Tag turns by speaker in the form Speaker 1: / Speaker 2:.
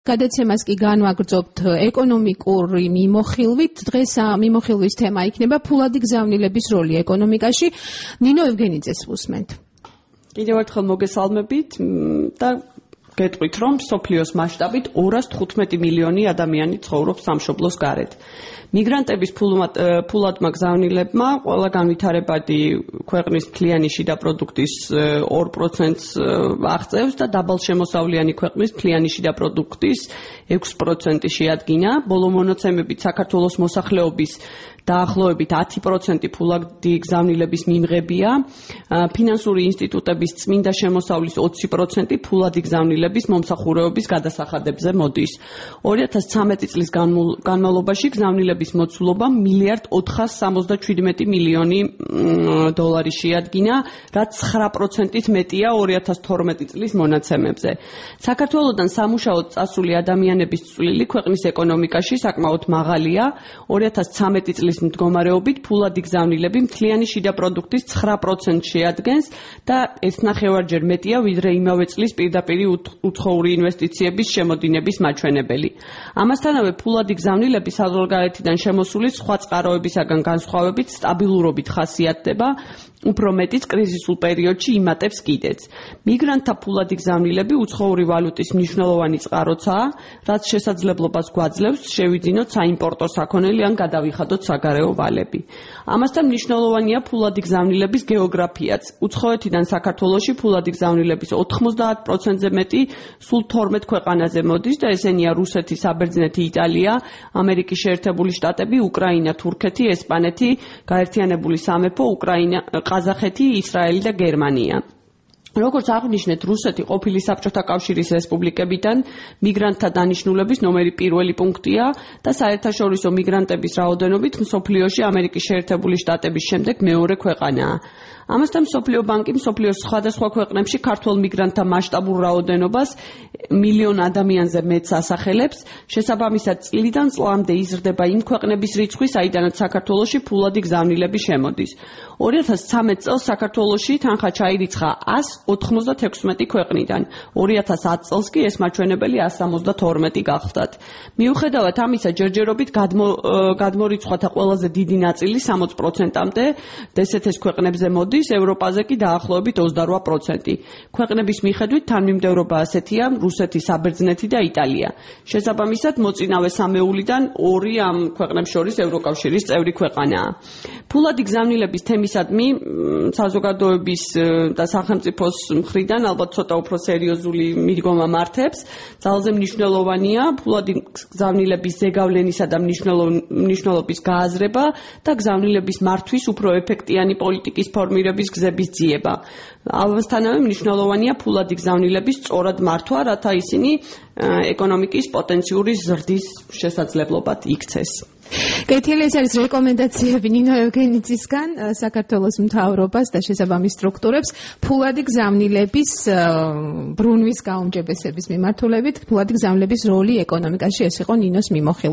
Speaker 1: გადაცემას კი განვაგრძობთ ეკონომიკური მიმოხილვით. დღეს მიმოხილვის თემა იქნება ფულადი გზავნილების როლი ეკონომიკაში. ნინო ევგენიძეს ვუსმენთ.
Speaker 2: კიდევ ერთხელ მოგესალმებით და გეტყვით, რომ მსოფლიოს მასშტაბით 215 მილიონი ადამიანი ცხოვრობს სამშობლოს გარეთ. მიგრანტების ფულადმა გზავნილებმა ყველა განვითარებადი ქვეყნის მთლიანი შიდა პროდუქტის 2%-ს აღწევს და დაბალშემოსავლიანი ქვეყნის მთლიანი შიდა პროდუქტის 6% შეადგინა. ბოლო მონაცემებით საქართველოს მოსახლეობის დაახლოებით 10% ფულადი გზავნილების მიმღებია. ფინანსური ინსტიტუტების წმინდა შემოსავლის 20% ფულადი გზავნილების მომსახურეობის გადასახადებზე მოდის. 2013 წლის განმავლობაში გზავნილების მოცულობა $1,477 მილიონი შეადგინა, რაც 9%-ით მეტია 2012 წლის მონაცემებზე. საქართველოდან სამუშაოდ წასული ადამიანების წვლილი ქვეყნის ეკონომიკაში საკმაოდ მაღალია. 2013 წლის მდგომარეობით ფულადი გზავნილები მთლიანი შიდა პროდუქტის 9% შეადგენს და 1,5-ჯერ მეტია ვიდრე იმავე წლის პირდაპირი უცხოური ინვესტიციების შემოდინების მაჩვენებელი. ამასთანავე ფულადი გზავნილები საზღვარგარეთიდან შემოსული სხვა წყაროებისაგან განსხვავებით სტაბილურობით ხასიათდება, უფრო მეტიც კრიზისულ პერიოდში იმატებს კიდეც. მიგრანტთა ფულადი გზავნილები უცხოური ვალუტის მნიშვნელოვანი წყაროცაა, რაც შესაძლებლობას გვაძლევს შევიძინოთ საიმპორტო საქონელი ან გადავიხადოთ საგარეო ვალები. ამასთან მნიშვნელოვანია ფულადი გზავნილების გეოგრაფიაც. უცხოეთიდან საქართველოში ფულადი გზავნილების 90%-ზე მეტი სულ 12 ქვეყანაზე მოდის და ესენია რუსეთი, საბერძნეთი, იტალია, ამერიკის შეერთებული შტატები, უკრაინა, თურქეთი, ესპანეთი, გაერთიანებული სამეფო, ყაზახეთი, ისრაელი და გერმანია. როგორც აღვნიშნეთ, რუსეთი ყოფილი საბჭოთა კავშირის რესპუბლიკებიდან მიგრანტთა დანიშნულების ნომერი პირველი პუნქტია და საერთაშორისო მიგრანტების რაოდენობით მსოფლიოში ამერიკის შეერთებული შტატების შემდეგ მეორე ქვეყანაა. ამასთან მსოფლიო ბანკი მსოფლიოს სხვადასხვა ქვეყნებში ქართველ მიგრანტთა მასშტაბურ რაოდენობას მილიონ ადამიანზე მეტს ასახელებს. შესაბამისად, წლიდან წლამდე იზრდება იმ ქვეყნების რიცხვი, საიდანაც საქართველოში ფულადი გზავნილები შემოდის. 2013 წელს საქართველოში თანხა ჩაირიცხა 196 ქვეყნიდან. 2010 წელს კი ეს მაჩვენებელი 172 გახლდათ. მიუხედავად ამისა, ჯერჯერობით გადმორიცხვათა ყველაზე დიდი ნაწილი 60%-მდე დსთ-ს ქვეყნებზე მოდის, ევროპაზე კი დაახლოებით 28%. ქვეყნების მიხედვით თანმიმდევრობა ასეთია: რუსეთი, საბერძნეთი და იტალია. შესაბამისად, მოწინავე სამეულიდან 2 ამ ქვეყნებს შორის ევროკავშირის წევრი ქვეყანაა. ფულადი გზავნილების თემისადმი საზოგადოების და სახელმწიფოს მხრიდან ალბათ ცოტა უფრო სერიოზული მიდგომა მართებს. ძალზე მნიშვნელოვანია ფულადი გზავნილების ზეგავლენისა და მნიშვნელობის გააზრება და გზავნილების მართვის უფრო ეფექტიანი პოლიტიკის ფორმირების გზების ძიება. ამასთანავე მნიშვნელოვანია ფულადი გზავნილების სწორად მართვა, რათა ისინი ეკონომიკის პოტენციური ზრდის შესაძლებლობად იქცეს.
Speaker 1: კეთილი, ეს არის რეკომენდაციები ნინო ევგენიძისგან საქართველოს მთავრობას და შესაბამის სტრუქტურებს ფულადი გზავნილების ბრუნვის გაუმჯობესების მიმართულებით, ფულადი გზავნილების როლი ეკონომიკაში. ეს იყო ნინოს მიმოხილვა.